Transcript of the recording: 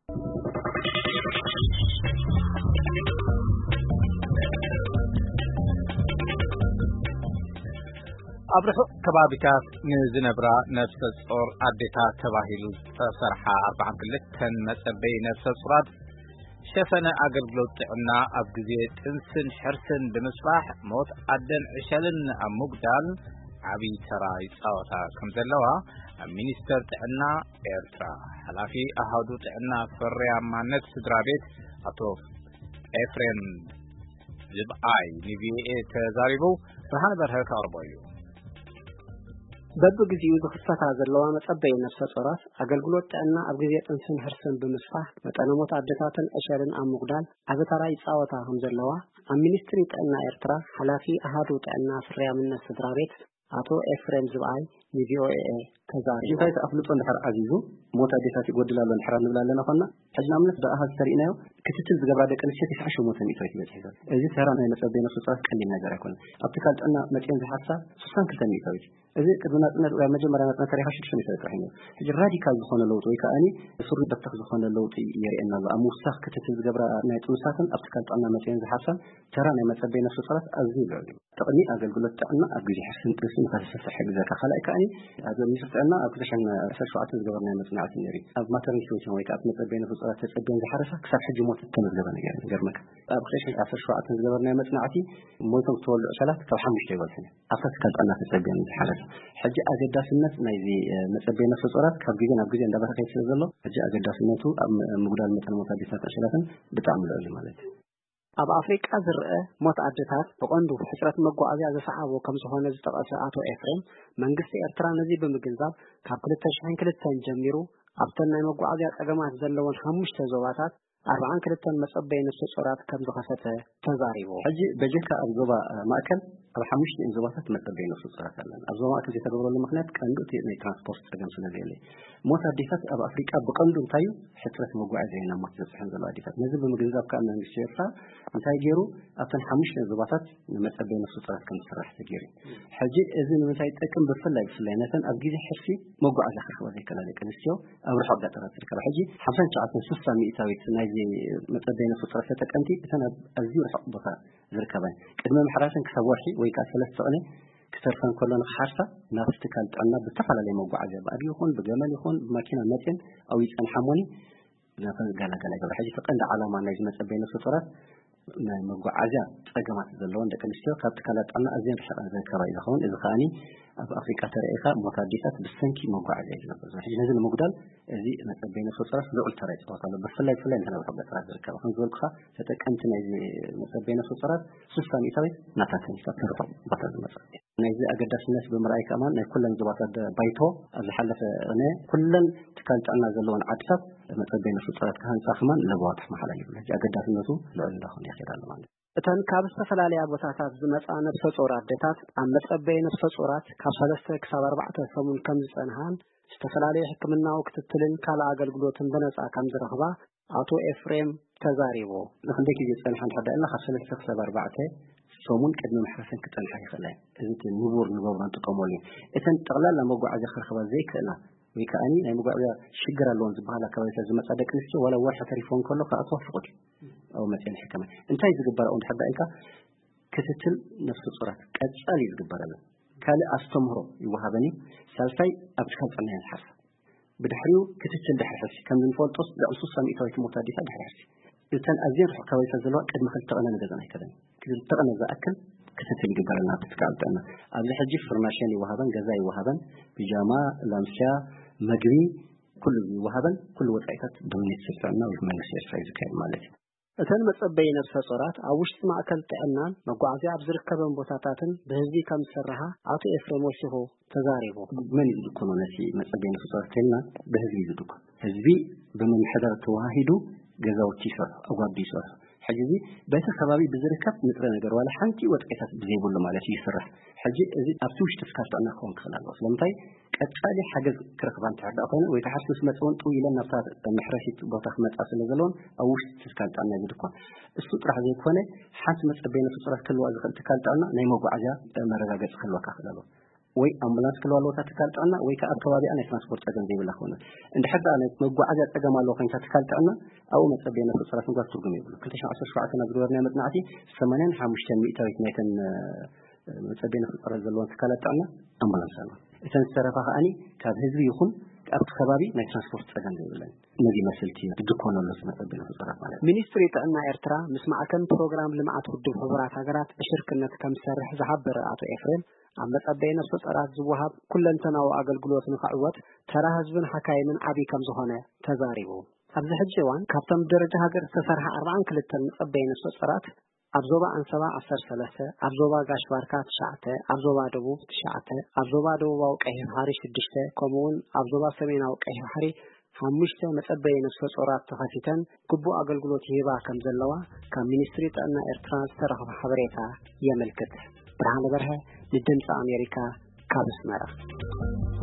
ኣብ ርሑቕ ከባቢታት ንዝነብራ ነፍሰ ጾር ኣዴታት ተባሂሉ ዝተሰርሓ ኣርባዓን ክልተን መጸበይ ነፍሰ ጾራት ሸፈነ ኣገልግሎት ጥዕና ኣብ ግዜ ጥንስን ሕርስን ብምስፋሕ ሞት ኣደን ዕሸልን ኣብ ምጉዳል ዓብዪ ተራ ይጻወታ ከም ዘለዋ ኣብ ሚኒስተር ጥዕና ኤርትራ ሓላፊ ኣሃዱ ጥዕና ፍርያማነት ስድራ ቤት ኣቶ ኤፍሬም ዝብኣይ ንቪኦኤ ተዛሪቡ። ብርሃነ በርሀ ከቕርቦ እዩ። በብግዜኡ ዝኽሰታ ዘለዋ መጸበይ ነፍሰ ጾራት ኣገልግሎት ጥዕና ኣብ ግዜ ጥንስን ሕርስን ብምስፋሕ መጠነ ሞት ኣደታትን ዕሸልን ኣብ ምጉዳል ዓቢ ተራ ይጻወታ ከም ዘለዋ ኣብ ሚኒስትሪ ጥዕና ኤርትራ ሓላፊ ኣሃዱ ጥዕና ፍርያምነት ስድራ ቤት ኣቶ ኤፍሬም ዝብኣይ ንቪኦኤ ተዛሪቡ። እንታይ ኣፍልጦ እንድሕር ዓዚዙ ሞት ኣዴታት ይጎድል ኣሎ እንድሕር ንብል ኣለና ኮና፣ ሕጂ ንኣብነት ብኣሃዝ ተሪእናዮ ክትትል ዝገብራ ደቂ ኣንስትዮ ተስዓን ሸሞንተን ሚእታዊት ይበጽሕ ዘሎ። እዚ ተራ ናይ መጸበይ ነፍሰ ጾራት ቀሊል ነገር ኣይኮነን። ኣብ ትካል ጥዕና መጽኤን ዝሓርሳ ስሳን ክልተን ሚእታዊት። እዚ ቅድሚ ናጽነት፣ ኣብ መጀመርያ ናጽነት ተሪኻ ሽዱሽተ ሚእታዊት ጥራሕ እዩ ነይሩ። ሕጂ ራዲካል ዝኾነ ለውጢ ወይ ከኣኒ ስሩ በተኽ ዝኾነ ለውጢ የርእየና ኣሎ። ኣብ ምውሳኽ ክትትል ዝገብራ ናይ ጥኑሳትን ኣብ ትካል ጥዕና መጽኤን ዝሓርሳን ተራ ናይ መጸበይ ነፍሰ ጾራት ኣዝዩ ልዑል እዩ። ጥቕሚ ኣገልግሎት ጥዕና ኣብ ግዜ ሕርስን ጥንስን ንኸስፍሕ ይሕግዘካ። ካልኣይ ከኣኒ ኣብ ሚኒስትሪ ጥዕና ኣብ ክልተ ሽሕን ዓሰርተ ሸውዓተን ዝገበርናዮ መጽናዕቲ ነይሩ እዩ። ኣብ ማተርኒቲ ዌቲንግ ወይ ከኣ ኣብ መጸበይ ነፍሰ ጾራት ተጸብየን ዝሓረሳ ክሳብ ሕጂ ሞት እተመዝገበ ነገር የለን። ይገርመካ። ኣብ ክልተ ሽሕን ዓሰርተ ሸውዓተን ዝገበርናዮ መጽናዕቲ ሞይቶም ዝተወልዱ ዕሸላት ካብ ሓሙሽተ ኣይበልሑን እዮም። ኣብታ ትካል ጥዕና ተጸብየን ዝሓረሳ። ሕጂ ኣገዳስነት ናይዚ፣ እ፣ መጸበይ ነፍሰ ጾራት ካብ ግዜ ናብ ግዜ እንዳበረኸ ይኸይድ ስለ ዘሎ፣ ሕጂ ኣገዳስነቱ ኣብ ም-፣ ምጉዳል መጠን ሞት ኣዴታት ዕሸላትን ብጣዕሚ ልዑል እዩ ማለት እዩ። ኣብ ኣፍሪቃ ዝረአ ሞት ኣደታት ብቐንዱ ሕጽረት መጓዓዝያ ዘሰዓቦ ከም ዝኾነ ዝጠቐሰ ኣቶ ኤፍሬም፣ መንግስቲ ኤርትራ ነዚ ብምግንዛብ ካብ ክልተ ሽሕን ክልተን ጀሚሩ ኣብተን ናይ መጓዓዝያ ጸገማት ዘለወን ሓሙሽተ ዞባታት ኣርባዓን ክልተን መጸበይ ነፍሰ ጾራት ከም ዝኸፈተ ተዛሪቡ። ሕጂ በጀካ ኣብ ዞባ፣ እ፣ ማእከል ኣብ ሓሙሽተ ዞባታት መጸበይ ነፍሰ ጾራት ኣለና። ኣብ ዞባ ማእከል ዘይተገብረሉ ምኽንያት ቀንዱ እቲ ናይ ትራንስፖርት ጸገም ስለ ዘየለ። ሞት ኣዴታት ኣብ ኣፍሪቃ ብቐንዱ እንታይ እዩ? ሕጽረት መጓዓዝያ እዩ ናብ ሞት ዘብጽሐን ዘሎ ኣዴታት። ነዚ ብምግንዛብ ከኣ መንግስቲ ኤርትራ እንታይ ገይሩ? ኣብተን ሓሙሽተ ዞባታት ንመጸበይ ነፍሰ ጾራት ከም ዝስራሕ ተገይሩ እዩ። ሕጂ እዚ ንምንታይ ይጠቅም? ብፍላይ፣ ብፍላይ ነተን ኣብ ግዜ ሕርሲ መጓዓዝያ ክረኽባ ዘይከላ ደቂ ኣንስትዮ ኣብ ርሑቕ ገጠራት ዝርከባ። ሕጂ ሓምሳን ትሽዓተን ስሳ ሚእታዊት ናይዚ መጸበይ ነፍሰ ጾራት ተጠቀምቲ እተን ኣብ ኣዝዩ ርሑቕ ቦታ ዝርከባ እየን። ቅድሚ ምሕራሰን ክሳብ ወርሒ ወይ ከኣ ሰለስተ ቅነ ክተርፈን ከሎ ንኽሓርሳ ናብቲ ትካል ጥዕና ብዝተፈላለየ መጓዓዝያ ብኣድጊ ይኹን ብገመል ይኹን ብማኪና መጽየን ኣብኡ ይጸንሓ እሞኒ ናተን ዝገላገላ ይገብራ። ሕጂ እቲ ቀንዲ ዓላማ ናይዚ መጸበይ ነፍሰ ጾራት ናይ መጓዓዝያ ጸገማት ዘለወን ደቂ ኣንስትዮ ካብ ትካላት ጥዕና ኣዝየን ርሒቐን ዝርከባ እዩ ዝኸውን። እዚ ከኣኒ ኣብ ኣፍሪቃ ተረኢኻ ሞት ኣዴታት ብሰንኪ መጓዓዝያ እዩ ዝነብር ዘሎ። ሕጂ ነዚ ንምጉዳል እዚ መጸበይ ነፍሰ ጾራት ልዑል ተራ ይጻወት ኣሎ። ብፍላይ፣ ብፍላይ ነተን ኣብ ርሑቕ ገጠራት ዝርከባ። ከም ዝበልኩኻ ተጠቀምቲ ናይዚ መጸበይ ነፍሰ ጾራት ስሳ ሚእታዊት ናታተን እዩ፣ ካብተን ርሑቕ ቦታ ዝመጻ። ናይዚ ኣገዳስነት ብምርኣይ ከማን ናይ ኩለን ዞባታት ደ-፣ ባይቶ ኣብ ዝሓለፈ ቅነ ኩለን ትካል ጥዕና ዘለወን ዓድታት መጸበይ ነፍሰ ጾራት ክሃንጻ ከማን ለበዋ ተመሓላሊፉ። ሕጂ ኣገዳስነቱ ልዑል እንዳኾነ ይኸይድ ኣሎ ማለት እዩ። እተን ካብ ዝተፈላለያ ቦታታት ዝመጻ ነፍሰ ጾር ኣዴታት ኣብ መጸበይ ነፍሰ ጾራት ካብ ሰለስተ ክሳብ ኣርባዕተ ሰሙን ከም ዝጸንሃን ዝተፈላለዩ ሕክምናዊ ክትትልን ካልእ ኣገልግሎትን ብነጻ ከም ዝረኽባ ኣቶ ኤፍሬም ተዛሪቡ። ንክንደይ ግዜ ዝጸንሓ እንድሕር ደኣ ኢልና ካብ ሰለስተ ክሳብ ኣርባዕተ ሰሙን ቅድሚ ምሕራሰን ክጸንሓ ይኽእላ እየን። እዚ እቲ ንቡር ንገብሮ ንጥቀመሉ እዩ። እተን ጠቕላላ መጓዓዝያ ክረኽባ ዘይክእላ ወይ ከኣኒ ናይ መጓዓዝያ ሽግር ኣለዎን ዝበሃላ ከባቢታት ዝመጻ ደቂ ኣንስትዮ ዋላ ወርሒ ተሪፎን ከሎ ክኣትዋ ፍቑድ እዩ። ኣብኡ መጺኤን ይሕከማ። እንታይ ዝግበር ኣብኡ እንድሕር ደኣ ኢልካ ክትትል ነፍሰ ጾራት ቀጻሊ እዩ ዝግበረለን። ካልእ ኣስተምህሮ ይወሃበን እዩ። ሳልሳይ ኣብ ትካል ጥዕና እየን ዝሓርሳ። ብድሕሪኡ ክትትል ድሕሪ ሕርሲ ከም ዝንፈልጦስ ልዕሊ ስሳ ሚእታዊት ሞት ኣዴታት ድሕሪ ሕርሲ። እተን ኣዝየን ርሑቕ ከባቢታት ዘለዋ ቅድሚ ክልተ ቅነ ንገዛን ኣይከደን። ክልተ ቅነ ዝኣክል ክትትል ይግበረልና ኣብቲ ትካል ጥዕና። ኣብዚ ሕጂ ፍርናሸን ይወሃበን፣ ገዛ ይወሃበን፣ ቢጃማ፣ ላምስያ፣ መግቢ፣ ኩሉ ይወሃበን፣ ኩሉ ወጻኢታት ብሚኒስትሪ ጥዕና ወይ ብመንግስቲ ኤርትራ እዩ ዝካየድ ማለት እዩ። እተን መጸበይ ነፍሰ ጾራት ኣብ ውሽጢ ማእከል ጥዕናን መጓዓዝያ ኣብ ዝርከበን ቦታታትን ብህዝቢ ከም ዝስርሓ ኣቶ ኤፍሬም ወሲኹ ተዛሪቡ። መን እዩ ዝድኮኖ ነቲ መጸበይ ነፍሰ ጾራት ተልና ብህዝቢ እዩ ዝድኮን። ህዝቢ ብምምሕዳር ተዋሂዱ ገዛውቲ ይሰርሑ፣ ኣጓዱ ይሰርሑ። ሕጂ እዚ በቲ ከባቢ ብዝርከብ ንጥረ ነገር ዋላ ሓንቲ ወጻኢታት ብዘይብሉ ማለት እዩ ይስራሕ። ሕጂ እዚ ኣብቲ ውሽጢ ትካል ጥዕና ክኸውን ክኽእል ኣለዎ። ስለምንታይ ቀጻሊ ሓገዝ ክረኽባ እንተሕር ደኣ ኮይነ ወይ ከዓ ሕርሲ ምስ መጸ እውን ጥው ኢለን ናብታ መሕረሲት ቦታ ክመጻ ስለ ዘለዎን ኣብ ውሽጢ ትካል ጥዕና እዩ ዝድኮን። እሱ ጥራሕ ዘይኮነ ሓንቲ መጸበይ ነፍሰ ጾራት ክህልዋ ዝኽእል ትካል ጥዕና ናይ መጓዓዝያ መረጋገጺ ክህልወካ ክእል ኣለዎ። ወይ ኣምቡላንስ ክልዋ ኣለዎ እታ ትካል ጥዕና፣ ወይ ከዓ ኣብ ከባቢኣ ናይ ትራንስፖርት ፀገም ዘይብላ ክኾነ። እንድሕር ደኣ ናይ መጓዓዝያ ፀገም ኣለዎ ኮይንካ ትካል ጥዕና፣ ኣብኡ መፀበይ ነፍሰ ጾራት ምግባር ትርጉም የብሉ። ክልተ ሽሕን ዓሰርተ ሸውዓተን ኣብ ዝገበርናዮ መፅናዕቲ ሰማንያን ሓሙሽተን ሚእታዊት ናይተን መጸበይ ነፍሰ ጾራት ዘለዎን ትካላት ጥዕና ኣምቡላንስ ኣለዋ። እተን ዝተረፋ ከኣኒ ካብ ህዝቢ ይኹን ካብቲ ከባቢ ናይ ትራንስፖርት ጸገም ዘይብለን። ነዚ መስልቲ ድኮን ኣሎ መጸበይ ነፍሰ ጾራት ማለት። ሚኒስትሪ ጥዕና ኤርትራ ምስ ማዕከን ፕሮግራም ልምዓት ውድብ ሕቡራት ሃገራት ብሽርክነት ከም ዝሰርሕ ዝሓበረ ኣቶ ኤፍሬም፣ ኣብ መጸበይ ነፍሰ ጾራት ዝወሃብ ኩለንተናዊ ኣገልግሎት ንኽዕወት ተራ ህዝብን ሓካይምን ዓቢ ከም ዝኾነ ተዛሪቡ። ኣብዚ ሕጂ እዋን ካብቶም ብደረጃ ሃገር ዝተሰርሓ ኣርባዓን ክልተን መጸበይ ነፍሰ ጾራት ኣብ ዞባ ኣንሰባ ዓሰርተ ሰለስተ፣ ኣብ ዞባ ጋሽ ባርካ ትሽዓተ፣ ኣብ ዞባ ደቡብ ትሽዓተ፣ ኣብ ዞባ ደቡባዊ ቀይሕ ባሕሪ ሽዱሽተ፣ ከምኡ እውን ኣብ ዞባ ሰሜናዊ ቀይሕ ባሕሪ ሓሙሽተ መጸበይ ነፍሰ ጾራት ተኸፊተን ግቡእ ኣገልግሎት ይህባ ከም ዘለዋ ካብ ሚኒስትሪ ጥዕና ኤርትራ ዝተረኽበ ሓበሬታ የመልክት። ብርሃነ በርሀ ንድምፂ ኣሜሪካ ካብ ኣስመራ።